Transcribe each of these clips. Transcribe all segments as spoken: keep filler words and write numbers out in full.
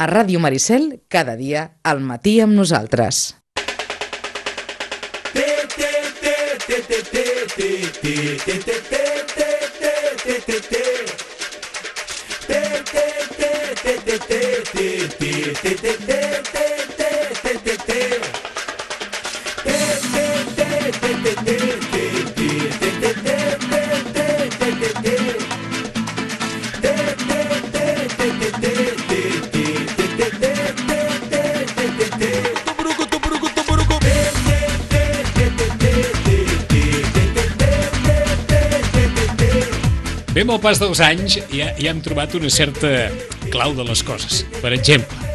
A Ràdio Maricel, cada dia, al matí amb nosaltres. Bé, amb el pas dels anys ja, ja hem trobat una certa clau de les coses. Per exemple,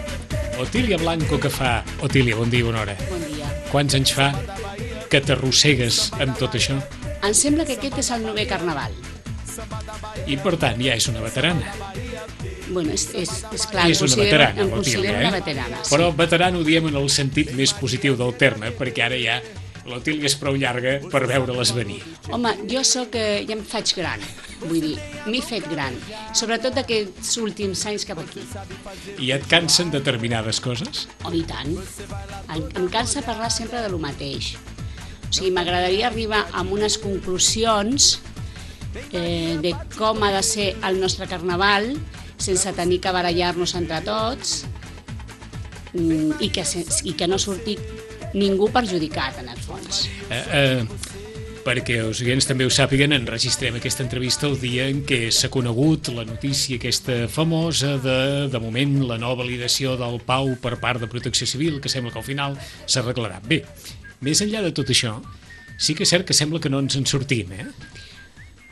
Otília Blanco, que fa... Otília, bon dia, bona hora. Bon dia. Quants anys fa que t'arrossegues amb tot això? Em sembla que aquest és el novè carnaval. I, per tant, ja és una veterana. Bueno, és, és, és clar, és em una considero, veterana, em l'Otília, considero eh? una veterana. Sí. Però veterana ho diem en el sentit més positiu del terme, perquè ara ja l'Otília és prou llarga per veure-les venir. Home, jo sóc, eh, ja em faig gran, vull dir, m'he fet gran, sobretot aquests últims anys cap aquí. I et cansen determinades coses? Oh, i tant. Em, em cansa parlar sempre de lo mateix. O sigui, m'agradaria arribar a unes conclusions eh, de com ha de ser el nostre carnaval sense tenir que barallar-nos entre tots mm, i, que, i que no surti ningú perjudicat, en el fons. Eh, eh, perquè els oients també ho sàpiguen, enregistrem aquesta entrevista el dia en què s'ha conegut la notícia aquesta famosa de, de moment, la no validació del P A U per part de Protecció Civil, que sembla que al final s'arreglarà. Bé, més enllà de tot això, sí que és cert que sembla que no ens en sortim, eh?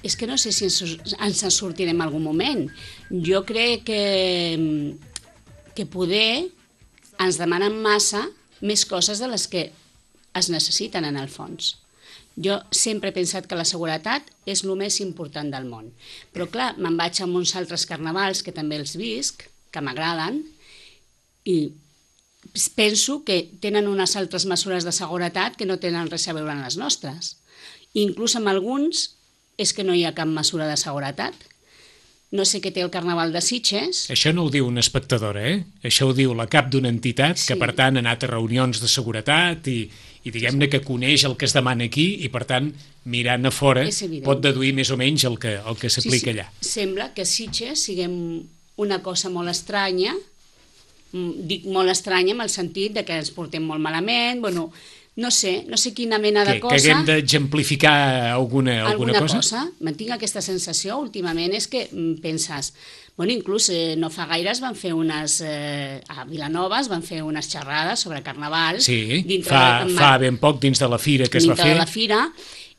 És que no sé si ens, ens en sortirem en algun moment. Jo crec que, que poder ens demanen massa més coses de les que es necessiten en el fons. Jo sempre he pensat que la seguretat és el més important del món. Però clar, me'n vaig a uns altres carnavals que també els visc, que m'agraden, i penso que tenen unes altres mesures de seguretat que no tenen res a veure amb les nostres. Inclús amb alguns és que no hi ha cap mesura de seguretat. No sé què té el Carnaval de Sitges. Això no ho diu una espectadora, eh? Això ho diu la cap d'una entitat Sí. que, per tant, ha anat a reunions de seguretat i, i diguem-ne que coneix el que es demana aquí i, per tant, mirant a fora, És evident. pot deduir més o menys el que, el que s'aplica Sí, sí. allà. Sembla que Sitges siguem una cosa molt estranya, mm, dic molt estranya en el sentit de que ens portem molt malament, bueno, no sé, no sé quina mena de Que, cosa... que haguem d'exemplificar alguna, alguna, alguna cosa? cosa. Me'n tinc aquesta sensació últimament, és que mm, penses... Bueno, inclús eh, no fa gaire es van fer unes... Eh, a Vilanova es van fer unes xerrades sobre carnaval. Sí, dintre fa, de, fa ben poc dins de la fira que es va dintre fer. de la fira,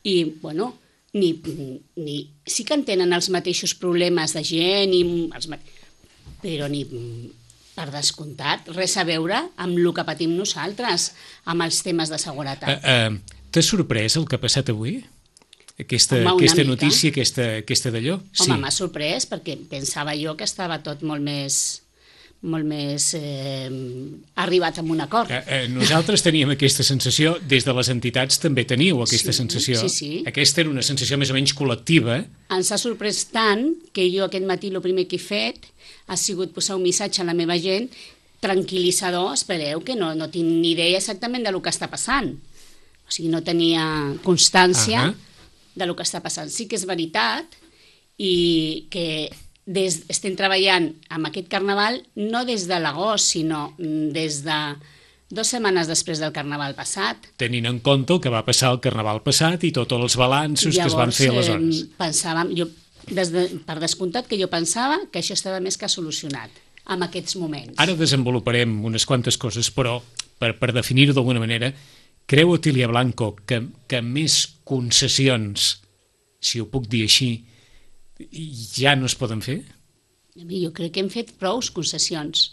i, bueno, ni, ni, sí que en tenen els mateixos problemes de gent, i els, ma- però ni, per descomptat, res a veure amb el que patim nosaltres, amb els temes de seguretat. Uh, uh, T'ha sorprès el que ha passat avui? Aquesta, Home, una aquesta mica. notícia, aquesta, aquesta d'allò? Home, m'ha sorprès perquè pensava jo que estava tot molt més, molt més eh, arribat a un acord. Eh, eh, nosaltres teníem aquesta sensació, des de les entitats també teníeu aquesta Sí, sensació. sí, sí. Aquesta era una sensació més o menys col·lectiva. Ens ha sorprès tant que jo aquest matí el primer que he fet ha sigut posar un missatge a la meva gent tranquil·litzador, espereu que no, no tinc ni idea exactament de lo que està passant. O sigui, no tenia constància Ahà. de lo que està passant. Sí que és veritat i que des, estem treballant amb aquest carnaval no des de l'agost, sinó des de dues setmanes després del carnaval passat. Tenint en compte el que va passar el carnaval passat i tots els balanços que es van fer aleshores. Eh, pensàvem, jo, des de, per descomptat que jo pensava que això estava més que solucionat en aquests moments. Ara desenvoluparem unes quantes coses, però per, per definir-ho d'alguna manera, creu Otília Blanco que, que més concessions, si ho puc dir així, ja no es poden fer? Jo crec que hem fet prous concessions.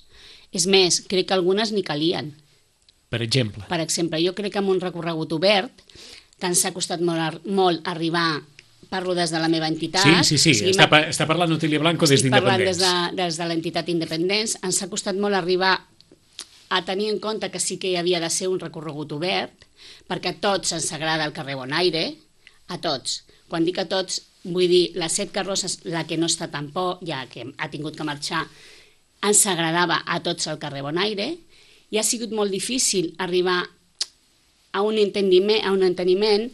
És més, crec que algunes ni calien. Per exemple. Per exemple, jo crec que amb un recorregut obert, que ens ha costat molt, ar- molt arribar, parlo des de la meva entitat... Sí, sí, sí, o sigui, està, m'ha- pa- està parlant Otília Blanco des estic parlant des d'Independents. de, des de l'entitat Independents, ens ha costat molt arribar a tenir en compte que sí que hi havia de ser un recorregut obert, perquè a tots ens agrada el carrer Bonaire, a tots. Quan dic a tots, vull dir, les set carrosses, la que no està tan por, ja que ha tingut que marxar, ens agradava a tots al carrer Bonaire, i ha sigut molt difícil arribar a un enteniment, a un enteniment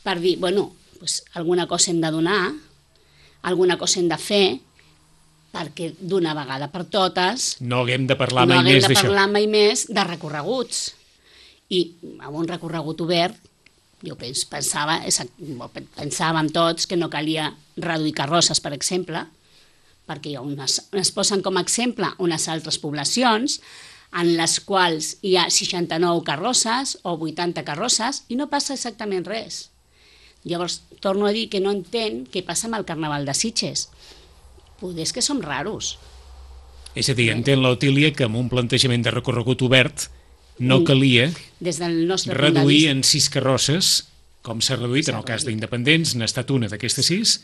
per dir, bueno, pues, alguna cosa hem de donar, alguna cosa hem de fer, perquè d'una vegada per totes no haguem de parlar no mai haguem més de d'això. parlar mai més de recorreguts. I amb un recorregut obert, jo pens, pensava, pensàvem tots que no calia reduir carrosses, per exemple, perquè hi ha unes, es posen com a exemple unes altres poblacions en les quals hi ha seixanta-nou carrosses o vuitanta carrosses i no passa exactament res. Llavors, torno a dir que no entenc què passa amb el Carnaval de Sitges. Poder és que som raros. És a dir, entén l'Otília que amb un plantejament de recorregut obert no calia Des del nostre punt de reduir vista. en sis carrosses, com s'ha reduït en el cas d'Independents, n'ha estat una d'aquestes sis,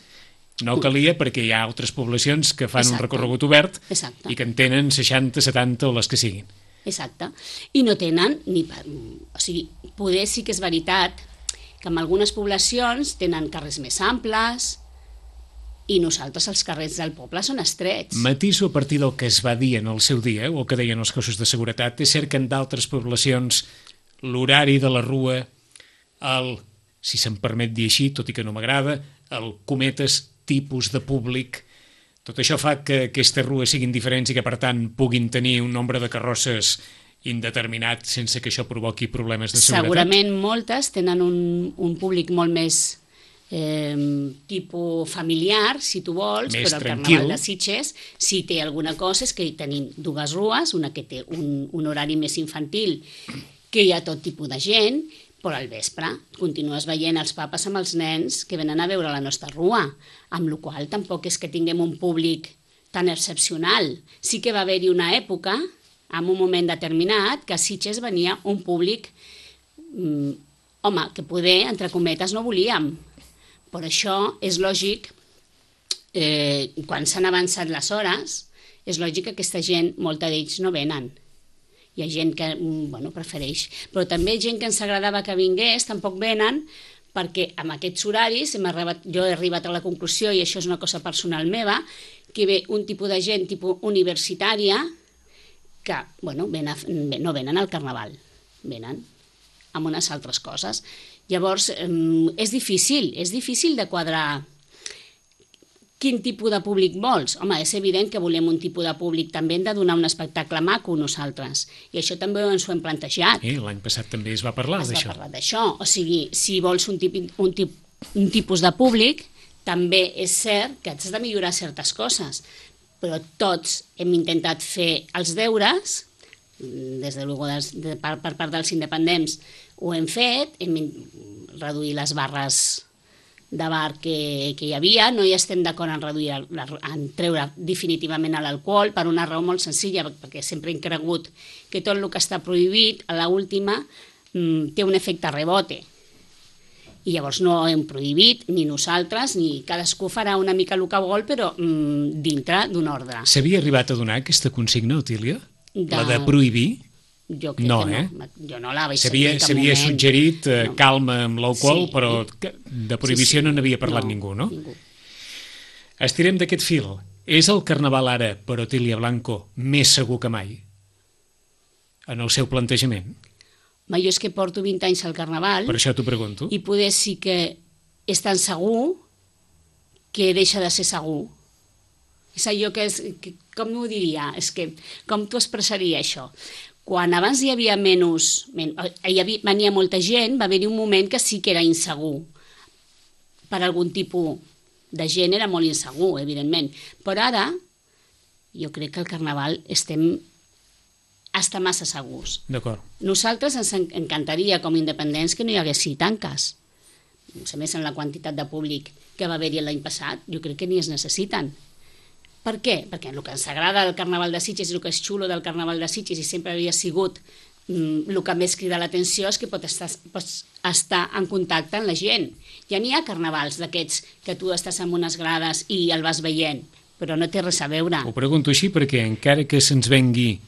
no calia perquè hi ha altres poblacions que fan un Exacte. recorregut obert Exacte. i que en tenen seixanta, setanta o les que siguin. Exacte. I no tenen ni... Per... O sigui, poder sí que és veritat que en algunes poblacions tenen carrers més amples i nosaltres els carrers del poble són estrets. Matiso a partir del que es va dir en el seu dia, o el que deien els cossos de seguretat, és cert que en d'altres poblacions l'horari de la rua, el, si se'm permet dir així, tot i que no m'agrada, el cometes tipus de públic, tot això fa que aquestes rues siguin diferents i que, per tant, puguin tenir un nombre de carrosses indeterminat sense que això provoqui problemes de seguretat? Segurament moltes tenen un, un públic molt més eh, tipus familiar, si tu vols, Més però el tranquil. Carnaval de Sitges, si té alguna cosa, és que hi tenim dues rues, una que té un, un horari més infantil, que hi ha tot tipus de gent, però al vespre continues veient els papes amb els nens que venen a veure la nostra rua, amb la qual cosa tampoc és que tinguem un públic tan excepcional. Sí que va haver-hi una època, en un moment determinat, que a Sitges venia un públic, mm, home, que poder, entre cometes, no volíem. Per això és lògic, eh, quan s'han avançat les hores, és lògic que aquesta gent, molta d'ells no venen. Hi ha gent que bueno, prefereix, però també gent que ens agradava que vingués, tampoc venen, perquè amb aquests horaris hem arribat, jo he arribat a la conclusió, i això és una cosa personal meva, que ve un tipus de gent tipus universitària que bueno, ven a, no venen al Carnaval, venen amb unes altres coses. Llavors, eh, és difícil, és difícil de quadrar quin tipus de públic vols? Home, és evident que volem un tipus de públic, també hem de donar un espectacle maco nosaltres, i això també ens ho hem plantejat. Eh, L'any passat també es va parlar Es va d'això. parlar d'això, o sigui, si vols un, tip, un, tip, un tipus de públic, també és cert que has de millorar certes coses, però tots hem intentat fer els deures, des de, des, de per, per part dels independents ho hem fet, hem reduït les barres de bar que, que hi havia, no hi estem d'acord en reduir, la, en treure definitivament l'alcohol, per una raó molt senzilla, perquè sempre hem cregut que tot el que està prohibit, a l'última, mm, té un efecte rebote. I llavors no hem prohibit, ni nosaltres, ni cadascú farà una mica el que vol, però mm, dintre d'un ordre. S'havia arribat a donar aquesta consigna, Otília? De... La de prohibir? Jo crec No, que eh? no. Jo no la vaig S'havia sentir en cap s'havia moment. suggerit eh, No. calma amb l'alcohol, Sí. però que- de prohibició Sí, sí. no n'havia parlat No, ningú, no? ningú. Estirem d'aquest fil. És el Carnaval ara, per Otília Blanco, més segur que mai? En el seu plantejament? Home, jo és que porto vint anys al Carnaval Per això t'ho pregunto. i poder sí que és tan segur que deixa de ser segur. És allò que és... Que, com ho diria? És que, com t'ho expressaria això? Quan abans hi havia menys... Men, hi havia, venia molta gent, va haver-hi un moment que sí que era insegur. Per algun tipus de gent era molt insegur, evidentment. Però ara, jo crec que al Carnaval estem està massa segurs. D'acord. Nosaltres ens en- encantaria, com a independents, que no hi hagués tanques. A més, en la quantitat de públic que va haver-hi l'any passat, jo crec que ni es necessiten. Per què? Perquè el que ens agrada del Carnaval de Sitges i el que és xulo del Carnaval de Sitges i sempre havia sigut mm, el que més crida l'atenció és que pots estar, pots estar en contacte amb la gent. Ja n'hi ha carnavals d'aquests que tu estàs en unes grades i el vas veient, però no té res a veure. Ho pregunto així perquè encara que se'ns vengui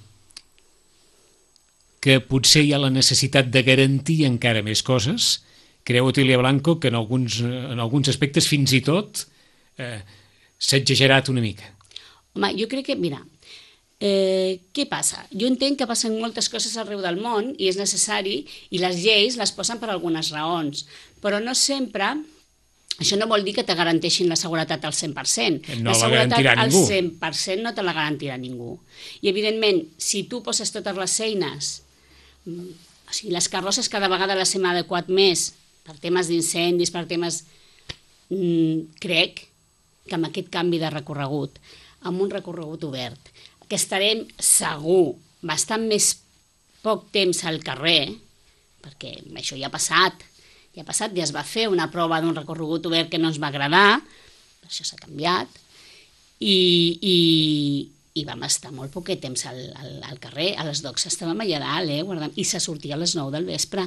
que potser hi ha la necessitat de garantir encara més coses, creu Otília Blanco que en alguns, en alguns aspectes fins i tot eh, s'ha exagerat una mica. Home, jo crec que, mira, Eh, què passa? Jo entenc que passen moltes coses arreu del món i és necessari, i les lleis les posen per algunes raons, però no sempre, això no vol dir que te garanteixin la seguretat al cent per cent. No la la garantirà seguretat al ningú. cent per cent no te la garantirà ningú. I evidentment, si tu poses totes les eines, o sigui, les carrosses cada vegada les hem adequat més per temes d'incendis, per temes... Mm, crec que amb aquest canvi de recorregut, amb un recorregut obert, que estarem segur bastant més poc temps al carrer, perquè això ja ha passat, ja ha passat, ja es va fer una prova d'un recorregut obert que no ens va agradar, això s'ha canviat, i, i, i vam estar molt poc temps al, al, al carrer, a les docs estàvem allà dalt, eh, guardant, i se sortia a les nou del vespre.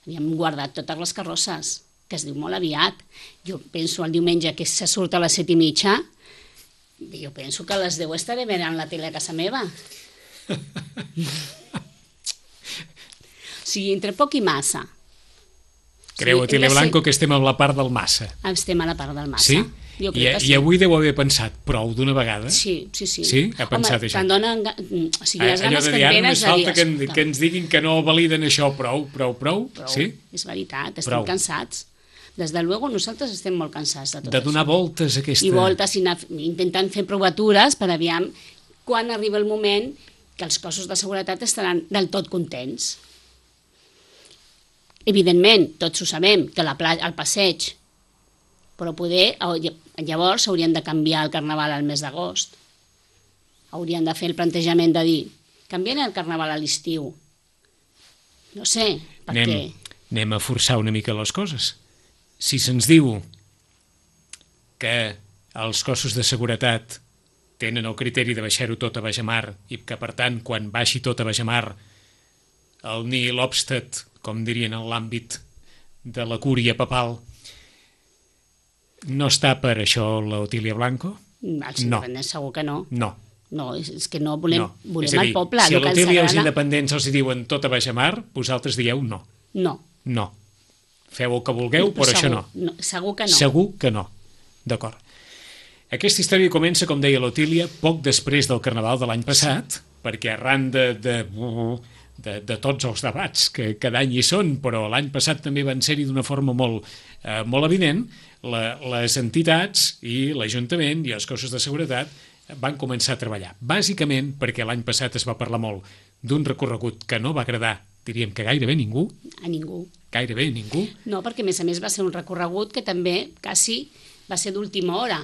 Havíem guardat totes les carrosses, que es diu molt aviat. Jo penso el diumenge que se surt a les set i mitja, jo penso que a les deu estaré mirant la tele a casa meva. O sigui, entre poc i massa. Creu, Sí, Otília hem de Blanco, ser- que estem a la part del massa. Estem a la part del massa. Sí? Jo I, crec que sí. I avui deu haver pensat prou d'una vegada? Sí, sí, sí. Sí? Ha pensat Home, això? te'n donen... ga- O sigui, les Allò ganes de que dir, et ara venen només és de dir... falta que, en, "Escolta, que ens diguin que no validen això, prou, prou, prou, prou". sí? És veritat, estem Prou. cansats. Des de luego nosaltres estem molt cansats de tot De donar això. voltes a aquesta... I voltes, i anar intentant fer provatures per aviam quan arriba el moment que els cossos de seguretat estaran del tot contents. Evidentment, tots ho sabem, que la pla el passeig, però poder, llavors haurien de canviar el carnaval al mes d'agost. Haurien de fer el plantejament de dir, canviem el carnaval a l'estiu. No sé, perquè... Anem, anem a forçar una mica les coses. Si se'ns diu que els cossos de seguretat tenen el criteri de baixar-ho tot a Bajamar i que, per tant, quan baixi tot a Bajamar, el nihil obstat, com dirien en l'àmbit de la cúria papal, no està per això l'Otília Blanco? Els No. independents segur que no. No. No, és, és que no volem, no. volem És a dir, el poble. si el a que ens l'Otília els agrada- independents els hi diuen tot a Bajamar, vosaltres dieu no. No. No. Feu el que vulgueu, però això segur, no. Segur que no. Segur que no. D'acord. Aquesta història comença, com deia l'Otília, poc després del Carnaval de l'any passat, perquè arran de, de, de, de tots els debats que cada any hi són, però l'any passat també van ser-hi d'una forma molt, eh, molt evident, la, les entitats i l'Ajuntament i els cossos de seguretat van començar a treballar. Bàsicament perquè l'any passat es va parlar molt d'un recorregut que no va agradar, diríem que gairebé ningú, A ningú. gairebé ningú, No, perquè a més a més va ser un recorregut que també quasi va ser d'última hora.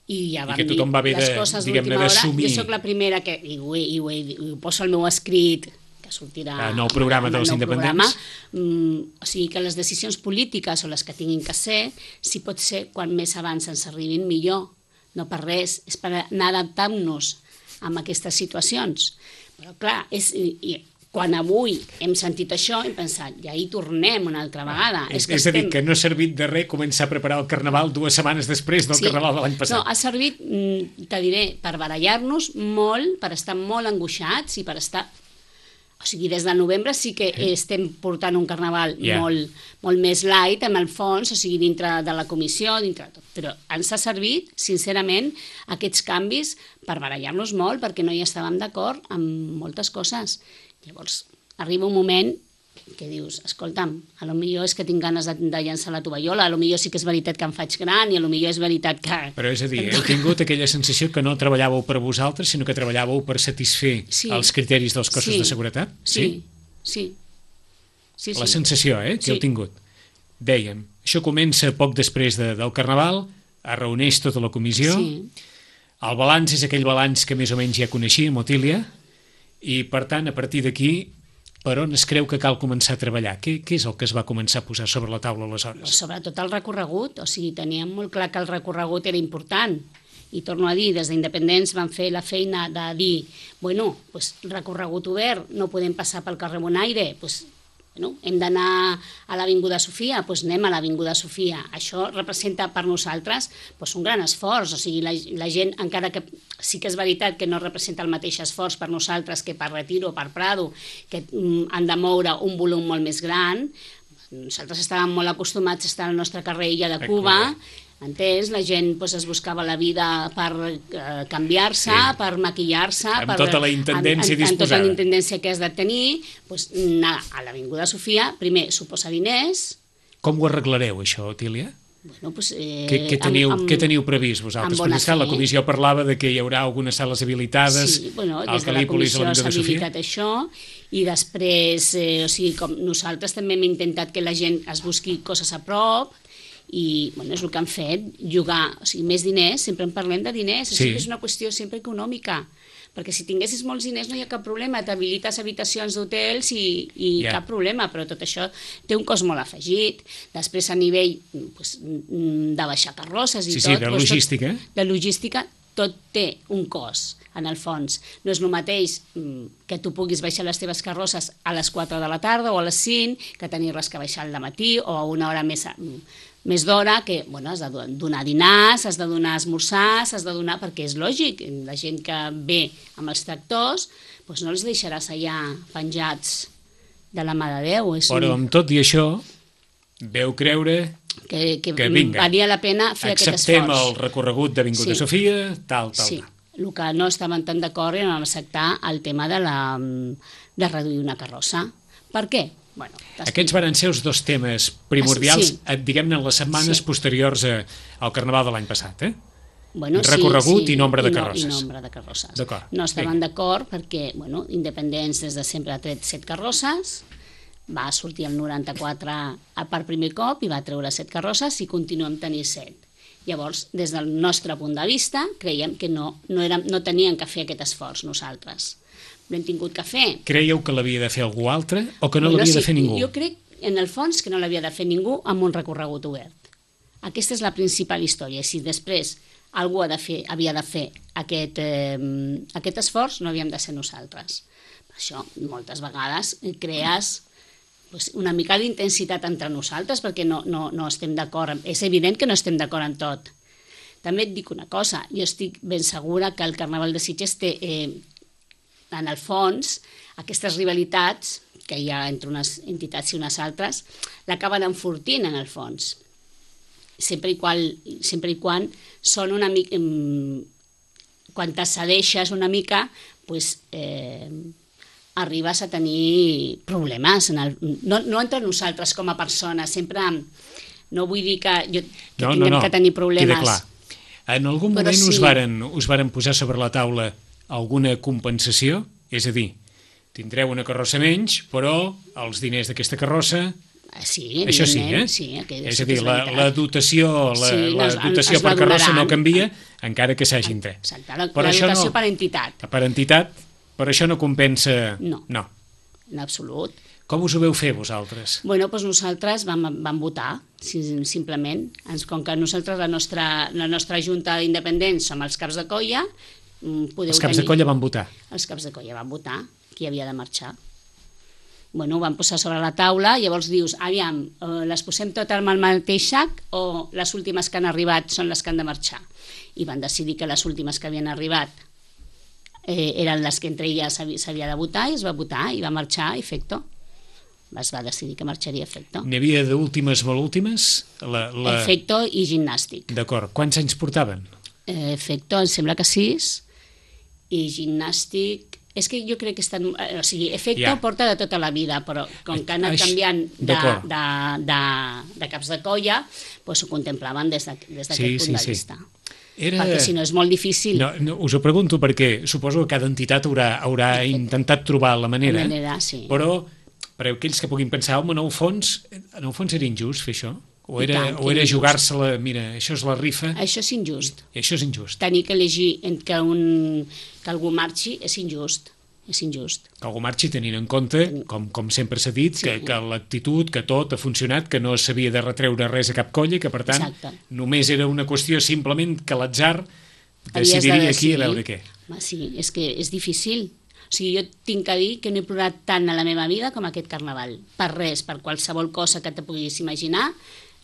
I ja I vam que tothom dir va haver les de, coses diguem-ne, d'última hora. d'assumir. Jo sóc la primera que, i ho, he- i ho, he- i ho poso al meu escrit, que sortirà El nou programa amb el dels nou independents. programa, mm, o sigui que les decisions polítiques o les que tinguin que ser, si pot ser quan més abans ens arribin millor, no per res, és per anar adaptant-nos a aquestes situacions. Però clar, és, i, i, quan avui hem sentit això hem pensat, ja hi tornem una altra vegada. És, que és a dir, estem- que no ha servit de res començar a preparar el Carnaval dues setmanes després del Sí. Carnaval de l'any passat. No, ha servit, mm, te diré, per barallar-nos molt, per estar molt angoixats i per estar... O sigui, des de novembre sí que estem portant un carnaval Ja. molt, molt més light, amb el fons, o sigui, dintre de la comissió, dintre de tot. Però ens ha servit, sincerament, aquests canvis per barallar-nos molt, perquè no hi estàvem d'acord amb moltes coses. Llavors, arriba un moment que dius, escolta'm, a lo millor és que tinc ganes de, de llançar la tovallola, a lo millor sí que és veritat que em faig gran i a lo millor és veritat que... Però és a dir, heu tingut aquella sensació que no treballàveu per vosaltres, sinó que treballàveu per satisfer Sí. els criteris dels cossos Sí. de seguretat? Sí, sí. sí, sí. La sensació, eh, que Sí. heu tingut. Dèiem, això comença poc després de, del Carnaval, es reuneix tota la comissió, Sí. el balanç és aquell balanç que més o menys ja coneixíem, Otília, i per tant, a partir d'aquí, per on es creu que cal començar a treballar? Què, què és el que es va començar a posar sobre la taula aleshores? Sobretot el recorregut, o sigui, teníem molt clar que el recorregut era important. I torno a dir, des d'Independents van fer la feina de dir, bueno, pues, recorregut obert, no podem passar pel carrer Bonaire, pues, bueno, hem d'anar a l'Avinguda Sofia, doncs anem a l'Avinguda Sofia. Això representa per nosaltres doncs, un gran esforç, o sigui, la, la gent, encara que sí que és veritat que no representa el mateix esforç per nosaltres que per Retiro o per Prado, que mm, han de moure un volum molt més gran. Nosaltres estàvem molt acostumats a estar al nostre carrer Illa de A Cuba, Cuba. Entens? La gent pues, es buscava la vida per eh, canviar-se, Sí. per maquillar-se... Amb per, tota la intendència amb, amb, amb tota disposada. la intendència que has de tenir, pues, anar a l'Avinguda Sofia, primer suposa diners... Com ho arreglareu, això, Otília? Bueno, pues, eh, Què, què, teniu, amb, amb, què teniu previst vosaltres? amb bona Perquè, esclar, la fe. comissió parlava de que hi haurà algunes sales habilitades Sí, bueno, al des de la Cal·lípolis comissió o a s'ha l'Avinguda Sofia. habilitat això i després, eh, o sigui, com nosaltres també hem intentat que la gent es busqui coses a prop i, bueno, és el que han fet, jugar, o sigui, més diners, sempre en parlem de diners, o Sí. sigui, és una qüestió sempre econòmica, perquè si tinguessis molts diners no hi ha cap problema, t'habilites habitacions d'hotels i, i Ja. cap problema, però tot això té un cost molt afegit. Després a nivell pues, de baixar carrosses i Sí, tot... sí, de doncs, logística. Tot, de logística, tot té un cost, en el fons. No és el mateix mm, que tu puguis baixar les teves carrosses a les quatre de la tarda o a les cinc, que tenir-les que baixar al matí o a una hora més... més d'hora, que bueno, has de donar dinars, has de donar esmorzars, has de donar... perquè és lògic, la gent que ve amb els tractors doncs no els deixaràs allà penjats de la mà de Déu. És Però amb tot i això, veu creure que, que, que vinga, valia la pena fer aquest acceptem esforç. el recorregut d'Avinguda Sí. Sofia, tal, tal, Sí, tal. el que no estaven tan d'acord era en acceptar el tema de, la, de reduir una carrossa. Per què? Bueno, Aquests van ser els dos temes primordials, Sí. eh, diguem-ne, en les setmanes Sí. posteriors a, al Carnaval de l'any passat, eh? bueno, recorregut i nombre de no- carrosses. I nombre de carrosses. D'acord. No estaven Vinga. d'acord perquè, bueno, Independents des de sempre ha tret set carrosses, va sortir el noranta-quatre a per primer cop i va treure set carrosses i continuem tenint set. Llavors, des del nostre punt de vista, creiem que no, no, érem, no tenien que fer aquest esforç nosaltres. L'hem tingut que fer. Creieu que l'havia de fer algú altre o que no Bueno, l'havia sí, de fer ningú? Jo crec, en el fons, que no l'havia de fer ningú amb un recorregut obert. Aquesta és la principal història. Si després algú ha de fer, havia de fer aquest, eh, aquest esforç, no havíem de ser nosaltres. Per això, moltes vegades crees pues, una mica d'intensitat entre nosaltres perquè no, no, no estem d'acord. És evident que no estem d'acord en tot. També et dic una cosa, jo estic ben segura que el Carnaval de Sitges té, eh, en el fons, aquestes rivalitats que hi ha entre unes entitats i unes altres, l'acaben enfortint en el fons. Sempre i, qual, sempre i quan són una mica... Quan t'accedeixes una mica, pues, eh, arribes a tenir problemes. En el, no, no entre nosaltres com a persones, sempre... No vull dir que, jo, que no, tinguem no, no. que tenir problemes. Queda clar. En algun Però moment sí. us, varen, us varen posar sobre la taula alguna compensació? És a dir, tindreu una carrossa menys, però els diners d'aquesta carrossa... Sí, això sí, eh? Sí, aquella és sí a que dir, és la, veritat. la dotació, la, Sí, la es- dotació es va per carrossa no donaran. canvia, encara que s'hagin tret. Exacte, la, Però la això dotació no- per entitat. Per entitat, però això no compensa... No. no. En absolut. Com us ho veu fer vosaltres? Bueno, doncs nosaltres vam, vam votar, sim- simplement. Ens, com que nosaltres, la nostra, la nostra Junta d'Independents, som els caps de colla, mm, podeu Els caps de tenir- colla van votar. Els caps de colla van votar qui havia de marxar. Bueno, ho van posar sobre la taula, llavors dius, aviam, eh, les posem totes amb el mateix sac o les últimes que han arribat són les que han de marxar? I van decidir que les últimes que havien arribat eh, eren les que entre elles s'havi- s'havia de votar i es va votar i va marxar Efecto. Es va decidir que marxaria Efecto. N'hi havia d'últimes molt últimes? La, la... Efecto i gimnàstic. D'acord. Quants anys portaven? Eh, Efecto, em sembla que sis, i gimnàstic... És que jo crec que estan... eh, O sigui, Efecto Ja. porta de tota la vida, però com que ha anat Aix- canviant de, d'acord. de, de, de caps de colla, doncs ho contemplaven des de- des d'aquest Sí, punt sí, de sí. vista. Era... Perquè si no és molt difícil. No, no, us ho pregunto perquè suposo que cada entitat haurà, haurà intentat trobar la manera, La manera, sí. però per aquells que puguin pensar, home, en el fons, en el fons era injust fer això? O I era, tant, que o era era injust. jugar-se-la, mira, això és la rifa, Això és injust. i això és injust. Tenir que elegir entre que, un, que algú marxi és injust. És injust. Que algú marxi tenint en compte, com, com sempre s'ha dit, Sí. que, que l'actitud, que tot ha funcionat, que no s'havia de retreure res a cap colla, que per tant Exacte. només era una qüestió simplement que l'atzar Havies de decidiria aquí decidir. a veure què. Home, sí, és que és difícil. O sigui, jo tinc que dir que no he plorat tant a la meva vida com aquest carnaval. Per res, per qualsevol cosa que te puguis imaginar,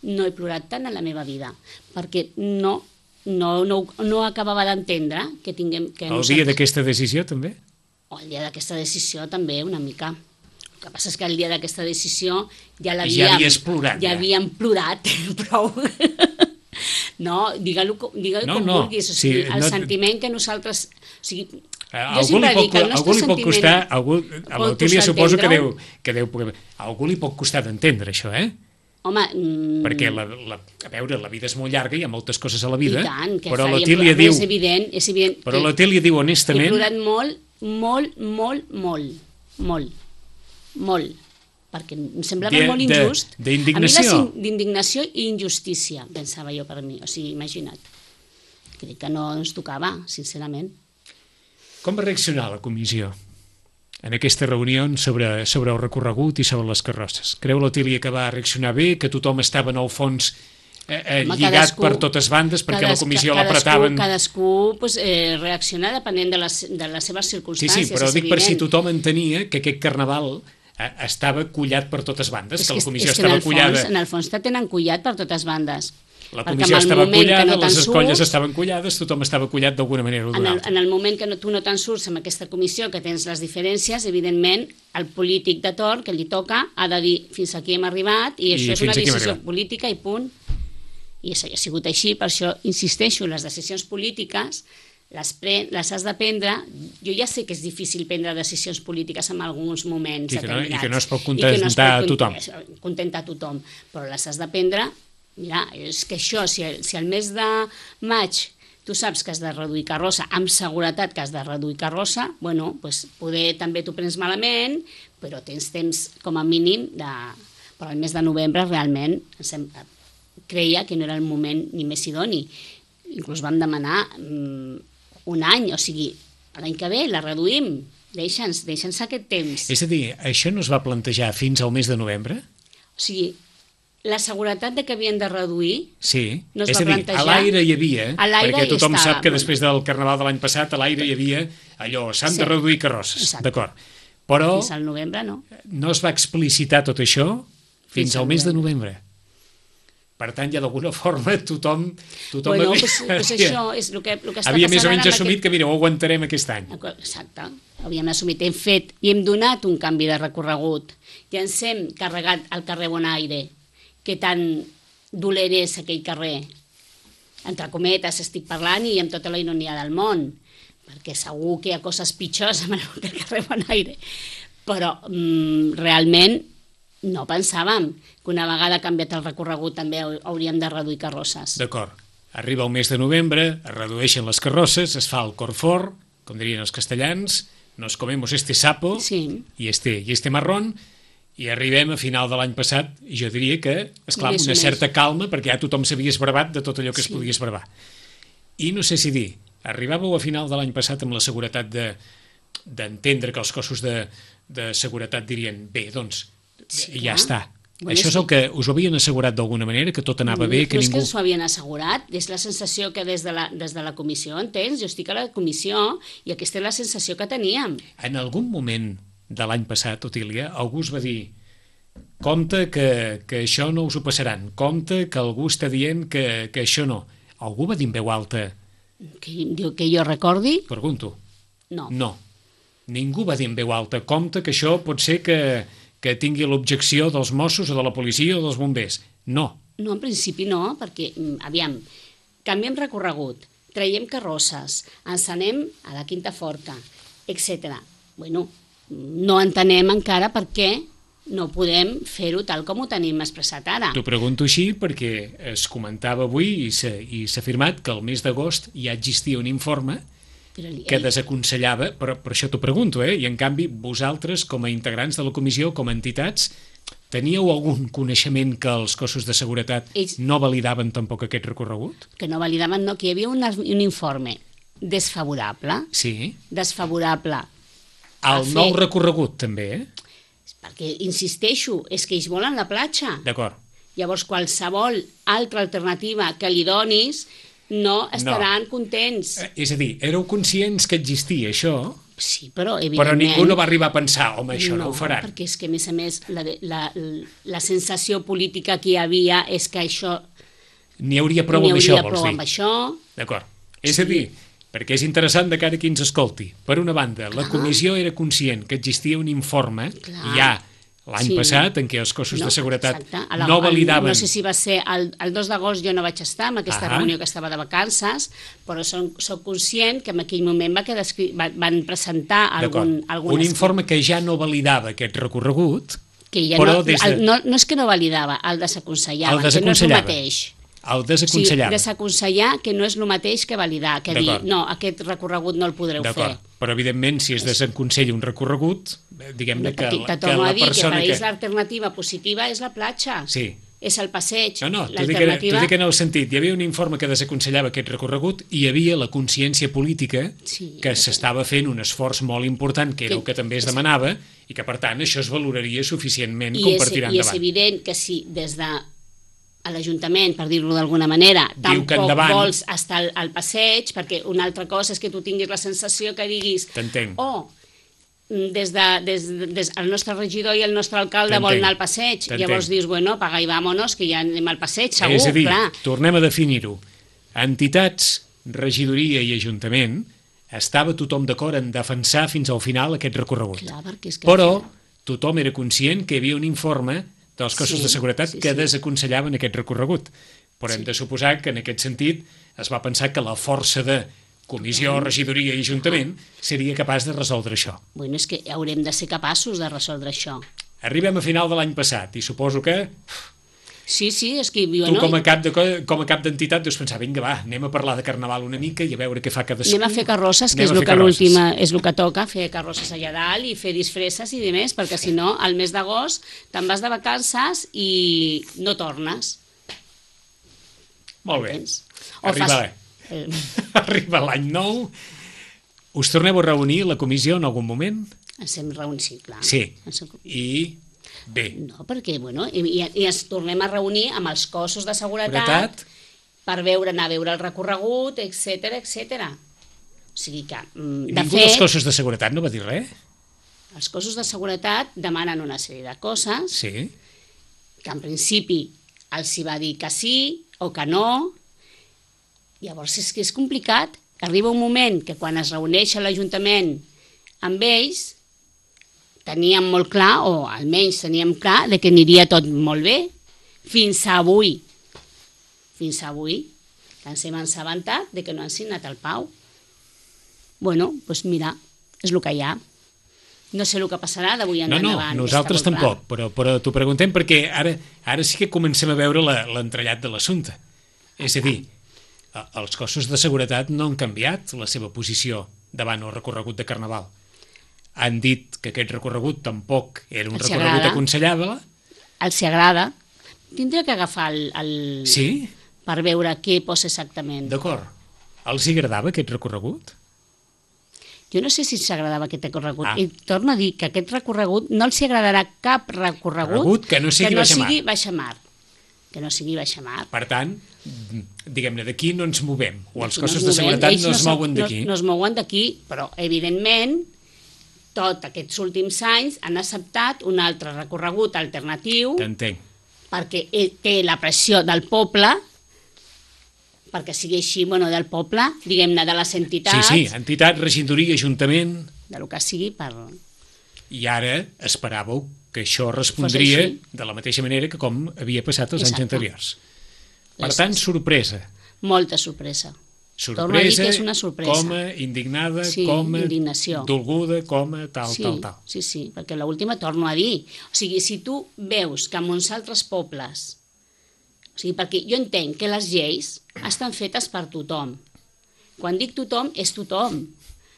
no he plorat tant a la meva vida. Perquè no, no, no, no acabava d'entendre que tinguem... Que El dia d'aquesta decisió, també? O el dia d'aquesta decisió també, una mica. El que passa és que el dia d'aquesta decisió ja l'havíem... Ja havies plorat, Ja ja. havíem plorat, prou. No, digue-ho digue No, com no, vulguis, o sigui, sí, el no- sentiment que nosaltres... O sigui, A jo algú li sempre pot, dic que el algú nostre li pot sentiment... costar, algú, a pot l'Otília costar suposo que deu, entendre-ho. que deu, a algú li pot costar d'entendre això, eh? Home, mm, Perquè, la, la, a veure, la vida és molt llarga, hi ha moltes coses a la i vida, tant, que però faríem l'Otília plorar, diu, és evident, és evident però que l'Otília diu he honestament, plorat molt, molt, molt, molt, molt, molt, perquè em semblava De- molt de- injust. d'indignació. A mi la sin- d'indignació i injustícia, pensava jo per mi, o sigui, imagina't. Crec que no ens tocava, sincerament. com va reaccionar la comissió en aquesta reunió sobre, sobre el recorregut i sobre les carrosses? Creu l'Otília que va reaccionar bé, que tothom estava en el fons eh, eh, Home, lligat cadascú- per totes bandes, perquè Cadas- la comissió cadascú- l'apretaven... Cadascú pues, eh, reacciona depenent de les, de les seves Sí, circumstàncies. sí, però és dic per si evident. tothom entenia que aquest carnaval eh, estava collat per totes bandes, És que la és- comissió és que estava en el collada... Fons, en el fons te tenen collat per totes bandes. La Perquè comissió en el estava moment que collada, no te'n les escolles surts- estaven collades, tothom estava collat d'alguna manera o En d'una el, altra. en el moment que no, tu no te'n surts amb aquesta comissió, que tens les diferències, evidentment, el polític de torn que li toca ha de dir fins aquí hem arribat i, I això és fins una aquí hem decisió arribat. política i punt. I això ha sigut així, per això insisteixo, les decisions polítiques les, pre les has de prendre. Jo ja sé que és difícil prendre decisions polítiques en alguns moments I que no- i determinats. que no es pot I que no es contentar pot a tothom. cont- contentar a tothom, però les has de prendre. Mira, és que això, si el, si el mes de maig tu saps que has de reduir carrossa, amb seguretat que has de reduir carrossa, bueno, pues poder també t'ho prens malament, però tens temps com a mínim de... Però el mes de novembre realment em sem- creia que no era el moment ni més idoni. Inclús vam demanar mm, un any, o sigui, l'any que ve la reduïm, deixa'ns, deixa'ns aquest temps. És a dir, això no es va plantejar fins al mes de novembre? O sigui, la seguretat de que havien de reduir Sí, no es és va a dir, plantejar. a l'aire hi havia, A l'aire perquè hi tothom estava. sap que després del Carnaval de l'any passat a l'aire hi havia allò, s'han Sí. de reduir carrosses, Exacte. d'acord. Però fins al novembre, no? no es va explicitar tot això fins Fins al al mes de novembre. Per tant, ja d'alguna forma tothom, tothom Bueno, havia, pues, pues això és el que, el que està havia passant més o menys ara amb assumit que, mira, ho aguantarem aquest any. Aquest... Exacte, havíem assumit, hem fet i hem donat un canvi de recorregut i ens hem carregat al carrer Bonaire, que tan dolent és aquell carrer, entre cometes estic parlant i amb tota la ironia del món, perquè segur que hi ha coses pitjors amb el carrer Bonaire, però mm, realment no pensàvem que una vegada canviat el recorregut també hauríem de reduir carrosses. D'acord. Arriba el mes de novembre, es redueixen les carrosses, es fa el cor fort, com dirien els castellans, nos comemos este sapo Sí. i este, i este marrón, i arribem a final de l'any passat, i jo diria que, esclar, Més o una menys. certa calma, perquè ja tothom s'havia esbravat de tot allò que es Sí. podia esbravar. I no sé si dir, arribàveu a final de l'any passat amb la seguretat de d'entendre que els cossos de, de seguretat dirien, bé, doncs, Sí, ja clar. està. Bueno, Això és sí. el que us ho havien assegurat d'alguna manera, que tot anava bé, no que és que ningú... ens ho havien assegurat, és la sensació que des de la, des de la comissió, entens? Jo estic a la comissió i aquesta és la sensació que teníem. En algun moment de l'any passat, Otília, algú us va dir compte que, que això no us ho passaran, compte que algú està dient que, que això no. Algú va dir en veu alta, Que, diu que jo recordi, pregunto, no. no. Ningú va dir en veu alta, compte que això pot ser que, que tingui l'objecció dels Mossos o de la policia o dels bombers. No. No, en principi no, perquè, mm, aviam, canviem recorregut, traiem carrosses, ens anem a la Quinta Forta, etcètera. Bueno, no entenem encara per què no podem fer-ho tal com ho tenim expressat ara. T'ho pregunto així perquè es comentava avui i s'ha i s'ha afirmat que el mes d'agost ja existia un informe Però, que ei, desaconsellava, però per això t'ho pregunto, eh? I en canvi vosaltres, com a integrants de la comissió, com a entitats, teníeu algun coneixement que els cossos de seguretat Ells- no validaven tampoc aquest recorregut? que no validaven, no, que hi havia un, un informe desfavorable, Sí. desfavorable, El fer- nou recorregut, també, eh? perquè, insisteixo, és que ells volen la platja. D'acord. Llavors, qualsevol altra alternativa que li donis no estaran contents. Eh, És a dir, éreu conscients que existia això, Sí, però però evidentment... ningú no va arribar a pensar, home, això no, ho faran. perquè és que, a més a més, la, la, la sensació política que hi havia és que això N'hi hauria prou n'hi amb això, hauria vols prou dir? amb això. D'acord. És Sí. a dir, perquè és interessant de cara a qui ens escolti. Per una banda, la Clar. comissió era conscient que existia un informe, Clar. i ja l'any Sí. passat, en què els cossos No, de seguretat exacte. A la- no el- validaven... No sé si va ser el, el dos d'agost, jo no vaig estar en aquesta Ahà. reunió que estava de vacances, però som, soc conscient que en aquell moment va quedar escrit, va, van presentar algun, D'acord. algun Un escrit, informe que ja no validava aquest recorregut, que ja però no, des de- el, no, no és que no validava, el desaconsellava, El que no és el desaconsellava. mateix. el O sigui, desaconsellava. desaconsellar que no és el mateix que validar, que dir, D'acord. no, aquest recorregut no el podreu fer. D'acord, però evidentment si es desaconsella un recorregut, eh, diguem-ne que, Te que torno la a dir que per persona ells que... l'alternativa positiva és la platja, Sí. és el passeig. No, no, t'ho dic, en- t'ho L'alternativa... dic en el sentit, hi havia un informe que desaconsellava aquest recorregut i hi havia la consciència política Sí. que s'estava fent un esforç molt important, que era Que- el que també es demanava, i que per tant això es valoraria suficientment I com és, per tirar I és endavant. evident que si des de a l'Ajuntament, per dir-lo d'alguna manera, Diu que tampoc endavant. vols estar al, al passeig, perquè una altra cosa és que tu tinguis la sensació que diguis T'entenc. oh, des de, des, des, el nostre regidor i el nostre alcalde T'entenc. volen anar al passeig. T'entenc. Llavors dius, bueno, apaga i vámonos, que ja anem al passeig, segur, És a dir, clar. tornem a definir-ho. Entitats, regidoria i ajuntament, estava tothom d'acord en defensar fins al final aquest recorregut. Clar, perquè és que... Però tothom era conscient que hi havia un informe dels cossos Sí, de seguretat sí, que sí. desaconsellaven aquest recorregut. Però hem de suposar que en aquest sentit es va pensar que la força de comissió, regidoria i ajuntament seria capaç de resoldre això. Bueno, és que haurem de ser capaços de resoldre això. Arribem a final de l'any passat i suposo que Sí, sí, és que... tu Bueno, com a cap de co- com a cap d'entitat deus pensar, vinga va, anem a parlar de carnaval una mica i a veure què fa cadascú. anem a fer carrosses, que Anem és a el fer que carrosses. l'última és el que toca, fer carrosses allà dalt i fer disfresses i demés, perquè si no, al mes d'agost te'n vas de vacances i no tornes. Molt bé. Entens? O Arriba, fas- eh, arriba l'any nou. Us torneu a reunir la comissió en algun moment? ens hem reunit, sí, clar. Sí. Ens hem- I bé, No, perquè, bueno, i, i, i ens tornem a reunir amb els cossos de seguretat, seguretat, per veure, anar a veure el recorregut, etc etc. O sigui que, mm, de ningú fet, dels cossos de seguretat no va dir res? els cossos de seguretat demanen una sèrie de coses Sí. que en principi els hi va dir que sí o que no. Llavors és que és complicat. Arriba un moment que quan es reuneix a l'Ajuntament amb ells teníem molt clar, o almenys teníem clar, de que aniria tot molt bé, fins a avui. Fins a avui, que ens hem assabentat de que no han signat el Pau. Bueno, doncs mira, és el que hi ha. No sé el que passarà d'avui en No, no, endavant. nosaltres està molt tampoc, però, però t'ho preguntem perquè ara, ara sí que comencem a veure la- l'entrellat de l'assumpte. És a dir, a- els cossos de seguretat no han canviat la seva posició davant el recorregut de Carnaval. Han dit que aquest recorregut tampoc era un Els recorregut agrada. aconsellable. clar. Els hi agrada. Tindria que agafar el, el... Sí, per veure què posa exactament. d'acord. Els hi agradava aquest recorregut? Jo no sé si els agradava aquest recorregut. Ah. I torno a dir que aquest recorregut no els agradarà cap recorregut Recorregut que no sigui que no baixamar. sigui baixamar. Que no sigui baixamar. Per tant, diguem-ne, d'aquí no ens movem, o els Aquí no cossos ens de movem. seguretat Ells no es són- mouen d'aquí. No, no es mouen d'aquí, però evidentment tot aquests últims anys han acceptat un altre recorregut alternatiu T'entenc. perquè eh, té la pressió del poble, perquè sigui així, bueno, del poble, diguem-ne, de les Sí, entitats, sí, entitat, regidoria, ajuntament, de lo que sigui per... i ara esperàveu que això respondria així. de la mateixa manera que com havia passat els anys Exacte. anteriors. Per És- tant, sorpresa. Molta sorpresa. Torno a dir Sorpresa, que és una sorpresa. com a indignada, Sí, com a indignació. dolguda, com a tal, Sí, tal, tal. sí, sí, perquè l'última torno a dir. O sigui, si tu veus que en uns altres pobles... O sigui, perquè jo entenc que les lleis estan fetes per tothom. Quan dic tothom, és tothom.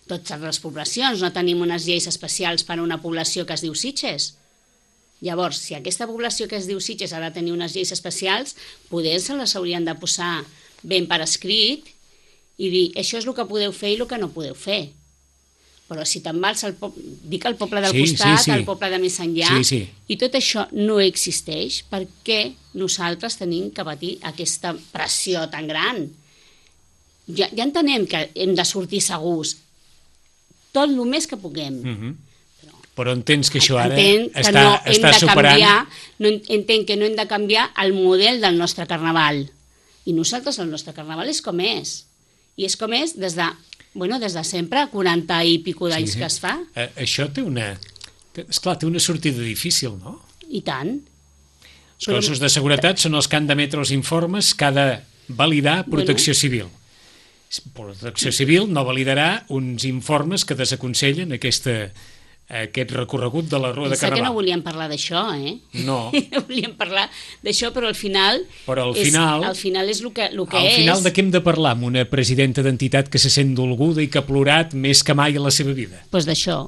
Totes les poblacions, no tenim unes lleis especials per a una població que es diu Sitges. Llavors, si aquesta població que es diu Sitges ha de tenir unes lleis especials, poder se les haurien de posar ben per escrit i dir, això és el que podeu fer i el que no podeu fer. Però si te'n vas al poble, dic al poble del Sí, costat, sí, sí. al poble de més enllà, Sí, sí. i tot això no existeix, perquè nosaltres tenim que patir aquesta pressió tan gran. Ja, ja entenem que hem de sortir segurs, tot el més que puguem. Mhm. Però entens que això ara Entenc que està, no hem està de superant... canviar, no en- entenc que no hem de canviar el model del nostre carnaval. I nosaltres, el nostre carnaval és com és. I és com és des de, bueno, des de sempre, quaranta i pico d'anys Sí. que es fa. Eh, això té una, Esclar, té una sortida difícil, no? I tant. Els cossos de seguretat són els que han d'emetre els informes que ha de validar Protecció Civil. Protecció Civil no validarà uns informes que desaconsellen aquesta, aquest recorregut de la Rua de Pensa que no Carnaval. volíem parlar d'això, eh? No. No volíem parlar d'això, però al final... Però al és, final... Al final és el que, el que Al és... final de què hem de parlar amb una presidenta d'entitat que se sent dolguda i que ha plorat més que mai a la seva vida? Doncs d'això.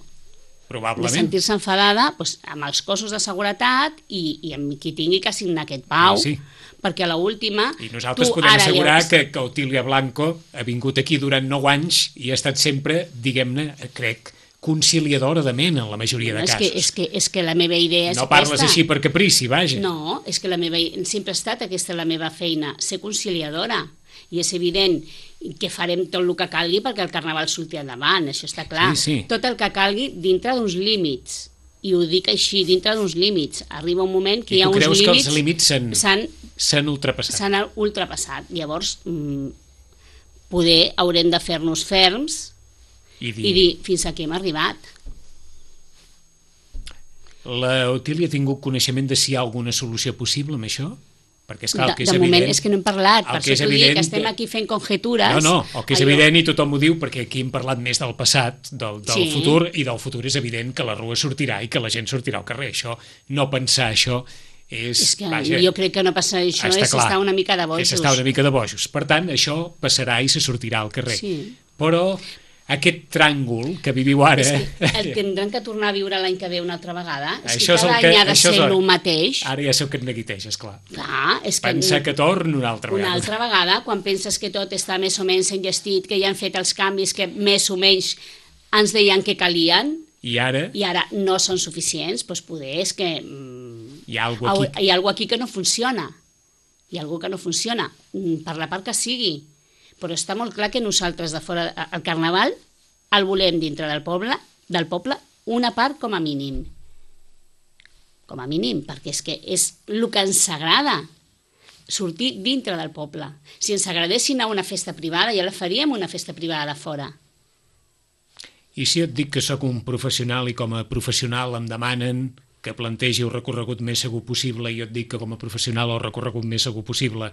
Probablement. De sentir-se enfadada doncs, amb els cossos de seguretat i, i amb qui tingui que signar aquest pau, Sí, sí. perquè a l'última... I nosaltres tu podem ara assegurar lleus... que, que Otília Blanco ha vingut aquí durant nou anys i ha estat sempre, diguem-ne, crec, conciliadora de ment en la majoria no, de és casos. Que, és, que, és que la meva idea és No parles aquesta. així per caprici, vaja. No, és que la meva, sempre ha estat aquesta la meva feina, ser conciliadora. I és evident que farem tot el que calgui perquè el Carnaval surti endavant, això està clar. Sí, sí. Tot el que calgui dintre d'uns límits. I ho dic així, dintre d'uns límits. Arriba un moment que I hi ha tu uns creus límits... que els límits s'han s'han s'han ultrapassat? s'han ultrapassat. Llavors, mm, poder haurem de fer-nos ferms I dir, i dir fins aquí hem arribat. la Otília ha tingut coneixement de si hi ha alguna solució possible amb això? Perquè és clar, el que de, és de evident... moment és que no hem parlat, per el que és això t'ho dic, evident que estem que- aquí fent conjetures. No, no, el que és Allò- evident, i tothom ho diu, perquè aquí hem parlat més del passat, del, del Sí. futur, i del futur és evident que la Rua sortirà i que la gent sortirà al carrer. Això, no pensar això és... És que vaja, jo crec que no passa això, està és clar, estar una mica de és bojos. estar una mica de bojos. Per tant, això passarà i se sortirà al carrer. Sí. Però aquest tràngol que viviu ara... És que el tindran que tornar a viure l'any que ve una altra vegada. És Això que és el cada que- any ha de això és ser el- el mateix. Ara ja sé que et neguiteges, clar. Clar, és que Pensa que torna una altra una vegada. altra vegada, quan penses que tot està més o menys enllestit, que ja han fet els canvis que més o menys ens deien que calien, I ara i ara no són suficients, doncs poder és que mm, hi ha alguna cosa aquí. hi ha alguna aquí que no funciona. Hi ha alguna que no funciona, mm, per la part que sigui. Però està molt clar que nosaltres de fora, el Carnaval, el volem dintre del poble, del poble, una part com a mínim. Com a mínim, perquè és que és el que ens agrada, sortir dintre del poble. Si ens agradessin a una festa privada, ja la faríem una festa privada de fora. I si et dic que sóc un professional i com a professional em demanen que plantegi el recorregut més segur possible i jo et dic que com a professional el recorregut més segur possible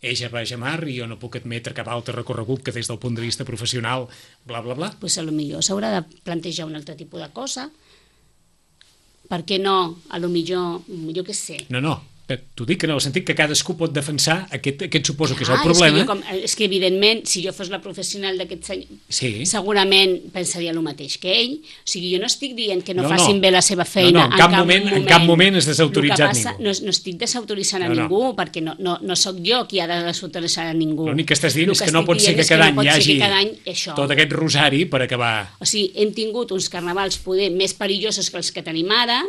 és a baix a mar i jo no puc admetre cap altre recorregut que des del punt de vista professional, bla, bla, bla. Pues a lo millor s'haurà de plantejar un altre tipus de cosa. Per què no? A lo millor, jo què sé. No, no, t'ho dic en el sentit que cadascú pot defensar aquest, aquest suposo que és el Ah, problema. És que, jo com, és que evidentment, si jo fos la professional d'aquest senyor, Sí. segurament pensaria el mateix que ell. O sigui, jo no estic dient que no, No, no. facin bé la seva feina. No, no, en cap moment- en cap moment has desautoritzat El que passa, ningú. No, no estic desautoritzant a No, no. ningú, perquè no, no, no sóc jo qui ha de desautoritzar a ningú. L'únic que estàs dient El és que no estic pot ser dient que és cada no any pot hi ser hagi que cada any això. tot aquest rosari per acabar. O sigui, hem tingut uns carnavals poder més perillosos que els que tenim ara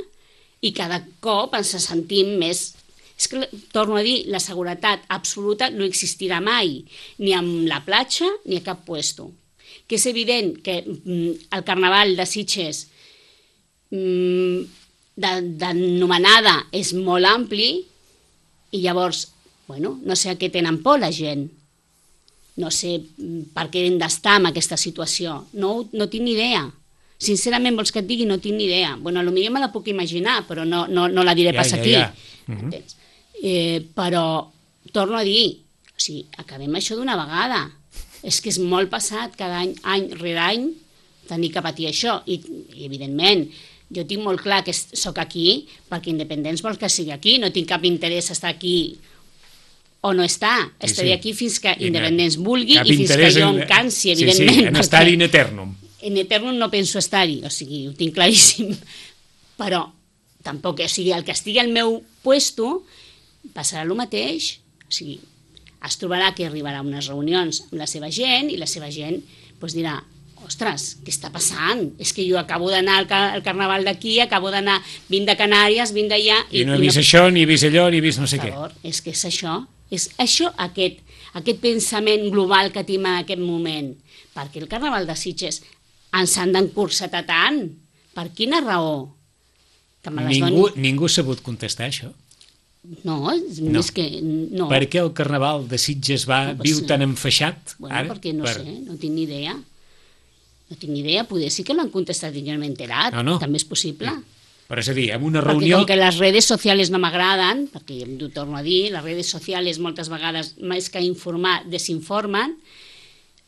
i cada cop ens sentim més... És que, torno a dir, la seguretat absoluta no existirà mai, ni amb la platja ni a cap puesto. Que és evident que mm, el carnaval de Sitges mm, d'anomenada és molt ampli i llavors, bueno, no sé a què tenen por la gent. No sé mm, per què hem d'estar en aquesta situació. No, no tinc ni idea. Sincerament, vols que et digui? No tinc ni idea. Bueno, potser me la puc imaginar, però no, no, no la diré Ja, pas ja, aquí. ja. Mhm. Entens? Eh, però, torno a dir, o sigui, acabem això d'una vegada. És que és molt passat cada any, any rere any, tenir que patir això. I, i evidentment, jo tinc molt clar que sóc aquí perquè Independents vol que sigui aquí. No tinc cap interès estar aquí o no està. Sí, Estaré sí. aquí fins que I Independents vulgui cap i fins que interès jo en- em cansi, Sí, evidentment. sí, en estar perquè- in eternum. en eternum no penso estar-hi, o sigui, ho tinc claríssim, però tampoc, o sigui, el que estigui al meu puesto passarà el mateix, o sigui, es trobarà que arribarà a unes reunions amb la seva gent i la seva gent doncs dirà, ostres, què està passant? És que jo acabo d'anar al, car al carnaval d'aquí, acabo d'anar, vinc de Canàries, vinc d'allà... I no he vist això, ni he vist allò, ni he vist no sé Per què. favor, és que és això, és això aquest, aquest pensament global que tenim en aquest moment. Perquè el carnaval de Sitges ens han d'encursetar tant? Per quina raó? Que me les Ningú, doni- ningú ha sabut contestar això. No, és, No. és que... No. Per què el carnaval de Sitges va, No, viu sí. tan enfaixat? Bueno, ara? perquè no Per- sé, no tinc ni idea. No tinc ni idea, poder sí que l'han contestat i jo no m'he enterat. No, no. També és possible. Però és a dir, en una Perquè reunió... com que les redes socials no m'agraden, perquè ho torno a dir, les redes socials moltes vegades, més que informar, desinformen,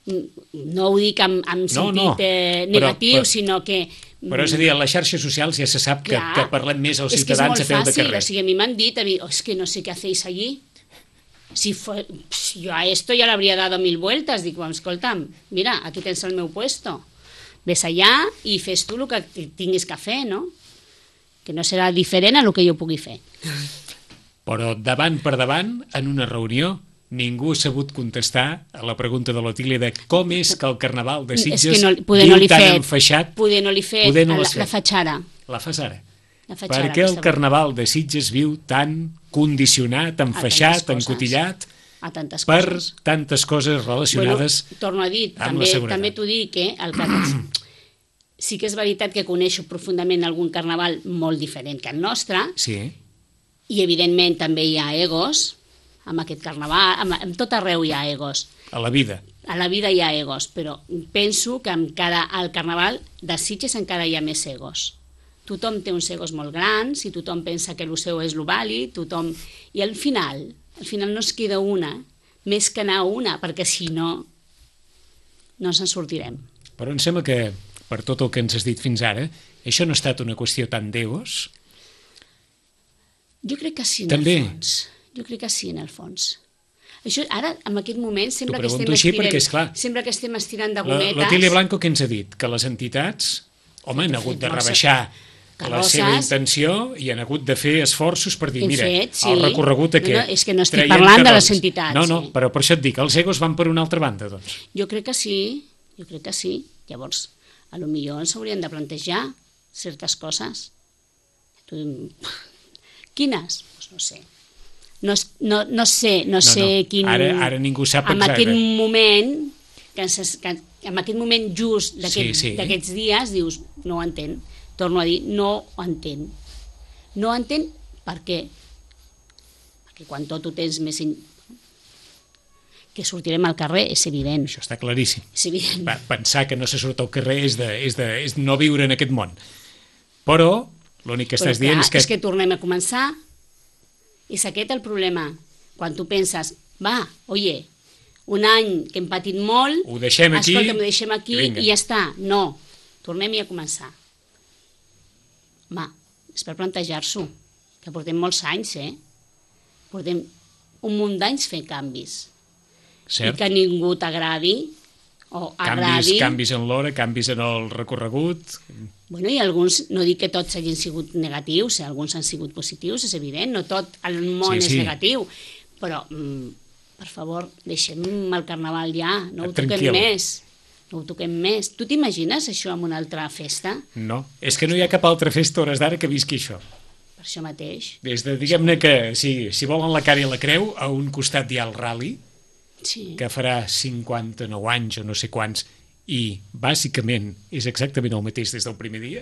no ho dic en, en No, sentit no, eh, però- negatiu, però- sinó que... Però és a dir, a les xarxes socials ja se sap que, Clar, que parlem més als és que és ciutadans molt a peu de fàcil, carrer. o sigui, a mi m'han dit, a mi, oh, es que no sé què hacéis allí. Si fue, pss, yo a esto ya le habría dado mil vueltas. Dic, bueno, escolta'm, mira, aquí tens el meu puesto. Ves allà i fes tu el que tinguis que fer, no? Que no serà diferent a el que jo pugui fer. Però davant per davant, en una reunió, ningú ha sabut contestar a la pregunta de l'Otília de com és que el Carnaval de Sitges És que no, poder viu no li tan fet, enfaixat. poder no li fet, poder no la, l'has fet. la faig ara. La fas ara. La faig Per ara, què el aquesta Carnaval de Sitges viu tan condicionat, enfaixat, tantes coses. encotillat a tantes per coses. tantes coses relacionades Bueno, torno a dir, amb també, la seguretat? també t'ho dic, eh, el que sí que és veritat que coneixo profundament algun carnaval molt diferent que el nostre, Sí, i evidentment també hi ha egos, amb aquest carnaval, amb, amb tot arreu hi ha egos. a la vida. A la vida hi ha egos, però penso que encara al carnaval de Sitges encara hi ha més egos. Tothom té uns egos molt grans i tothom pensa que el seu és el vàlid, tothom... I al final, al final no es queda una, més que anar a una, perquè si no, no ens en sortirem. Però em sembla que, per tot el que ens has dit fins ara, això no ha estat una qüestió tant d'egos. Jo crec que sí, en També. el fons. Jo crec que sí, en el fons. Això, ara, en aquest moment, sembla que, pregunto estem així estirant, perquè, esclar, sembla que estem estirant de La- gometes. L'Otília Blanco què ens ha dit? Que les entitats, home, han Fet, hagut fet, de molt rebaixar la carrosses. seva intenció i han hagut de fer esforços per dir, Hem mira, fet, sí. el recorregut No, aquest... no, és que no estic traient parlant de les carrosses. entitats, No, no, sí. però per això et dic, els egos van per una altra banda, doncs. Jo crec que sí, jo crec que sí. Llavors, a lo millor ens haurien de plantejar certes coses. Tu... Quines? Pues no sé. No, es- no, no sé, no, No, sé no. quin... Ara- ara ningú sap En exacte. aquest moment, que, ens, que en aquest moment just d'aquest- Sí, sí. d'aquests dies, dius, no ho entenc. Torno a dir, no ho entenc. No ho entenc per què? Perquè quan tot ho tens més... In... que sortirem al carrer, és evident. Això està claríssim. És evident. Va, pensar que no se surt al carrer és, de, és, de, és no viure en aquest món. Però l'únic que Però estàs dient clar, és que... és que tornem a començar. És aquest el problema. Quan tu penses, va, oye, un any que hem patit molt, Ho deixem aquí, escolta, ho deixem aquí i vinga. i ja està. No, tornem-hi a començar. Home, és per plantejar-s'ho, que portem molts anys, eh? Portem un munt d'anys fent canvis. Cert? I que a ningú t'agradi o Canvis, agradi. canvis en l'hora, canvis en el recorregut... Bueno, i alguns, no dic que tots hagin sigut negatius, eh? Alguns han sigut positius, és evident, no tot el món Sí, és sí. negatiu, però, mm, per favor, deixem el carnaval ja, no ho toquem Tranquil. més, no ho toquem més. Tu t'imagines això en una altra festa? No, és que no hi ha cap altra festa a hores d'ara que visqui això. Per això mateix. Des de, diguem-ne que, si, si volen la cara i la creu, a un costat hi ha el rally, Sí. que farà cinquanta-nou anys o no sé quants, i bàsicament és exactament el mateix des del primer dia,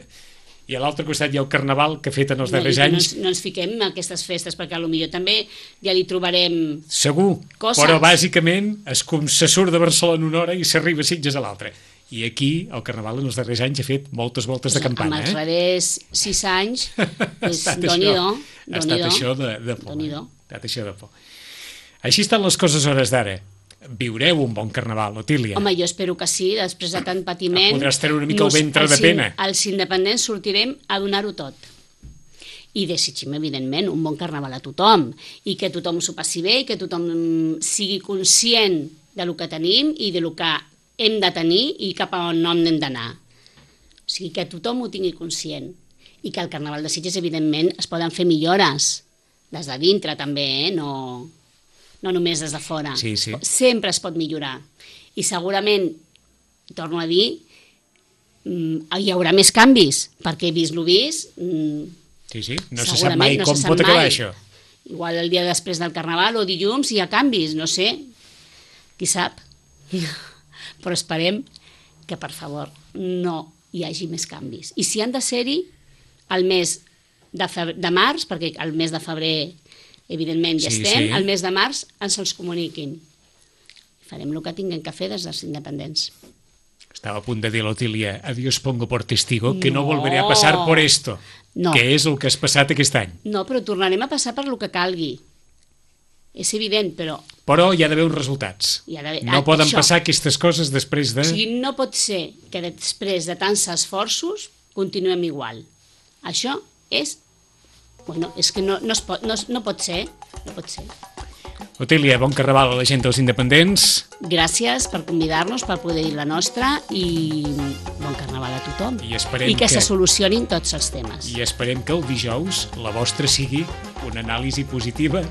i a l'altre costat hi ha el carnaval que ha fet en els No, i darrers que no, anys, ens, no ens fiquem en aquestes festes, perquè potser també ja li trobarem... segur, Coses. però bàsicament es, com se surt de Barcelona una hora i s'arriba a Sitges a l'altra. I aquí el carnaval en els darrers anys ha fet moltes voltes de Amb campana. els Eh? darrers sis anys, Ha és estat doni-do, això, ha estat això de, de por. Doni-do. Ha estat això de por. Així estan les coses a hores d'ara. Viureu un bon carnaval, Otília. Home, jo espero que sí, després de tant patiment... Podràs treure una mica el ventre els de in- pena. Els independents sortirem a donar-ho tot. I desitgem, evidentment, un bon carnaval a tothom, i que tothom s'ho passi bé, i que tothom sigui conscient de lo que tenim i de lo que hem de tenir i cap a on no hem d'anar. O sigui, que tothom ho tingui conscient. I que al Carnaval de Sitges, evidentment, es poden fer millores. Des de dintre, també, eh? No... no només des de fora. Sí, sí. Sempre es pot millorar. I segurament, torno a dir, mm, hi haurà més canvis, perquè vist lo vist, mm, Sí, sí, no se sap segurament mai no com se sap pot acabar mai. això. Igual el dia després del Carnaval o dilluns hi ha canvis, no sé, qui sap. Però esperem que, per favor, no hi hagi més canvis. I si han de ser-hi, al mes de, febrer, de març, perquè al mes de febrer evidentment ja Sí, estem, sí. al mes de març ens els comuniquin. Farem el que tinguem que fer des dels independents. Estava a punt de dir l'Otília, adiós pongo por testigo, que no, no volveré a passar por esto, no. Que és el que has passat aquest any. No, però tornarem a passar per lo que calgui. És evident, però... Però hi ha d'haver uns resultats. No poden això. Passar aquestes coses després de... O sigui, no pot ser que després de tants esforços continuem igual. Això és... Bueno, és que no, no, es pot, no, no pot ser, no pot ser. Otília, bon carnaval a la gent dels independents. Gràcies per convidar-nos, per poder dir la nostra, i bon carnaval a tothom. I, I que, que se solucionin tots els temes. I esperem que el dijous la vostra sigui una anàlisi positiva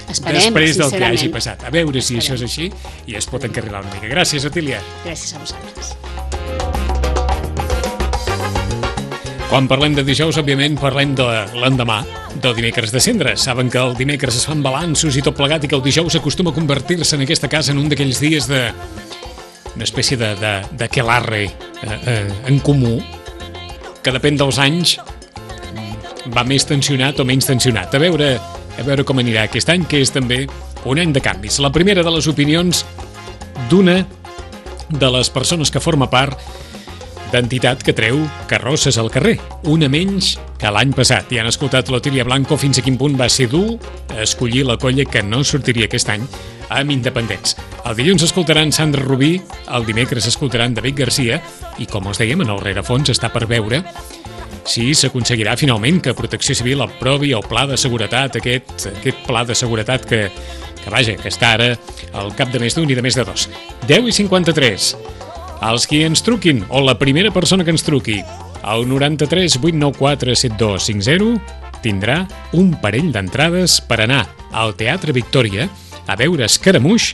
esperem, després del que hagi passat. A veure si esperem. Això és així i es pot encarrilar una mica. Gràcies, Otília. Gràcies a vosaltres. Quan parlem de dijous, òbviament, parlem de l'endemà, del dimecres de cendra. Saben que el dimecres es fan balanços i tot plegat i que el dijous acostuma a convertir-se en aquesta casa en un d'aquells dies de... una espècie de, de, d'aquelarre eh, eh, en comú, que depèn dels anys va més tensionat o menys tensionat. A veure, a veure com anirà aquest any, que és també un any de canvis. La primera de les opinions d'una de les persones que forma part d'entitat que treu carrosses al carrer, una menys que l'any passat. I han escoltat l'Otília Blanco fins a quin punt va ser dur escollir la colla que no sortiria aquest any amb independents. El dilluns escoltaran Sandra Rubí, el dimecres escoltaran David Garcia i, com us dèiem, en el rerefons està per veure si s'aconseguirà finalment que Protecció Civil aprovi el pla de seguretat, aquest, aquest pla de seguretat que, que, vaja, que està ara al cap de més d'un i de més de dos. deu i cinquanta-tres. Els qui ens truquin, o la primera persona que ens truqui, al noranta-tres vuit nou quatre set dos cinc zero, tindrà un parell d'entrades per anar al Teatre Victòria a veure Escaramuix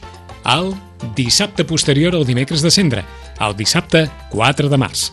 el dissabte posterior al dimecres de cendra, el dissabte quatre de març.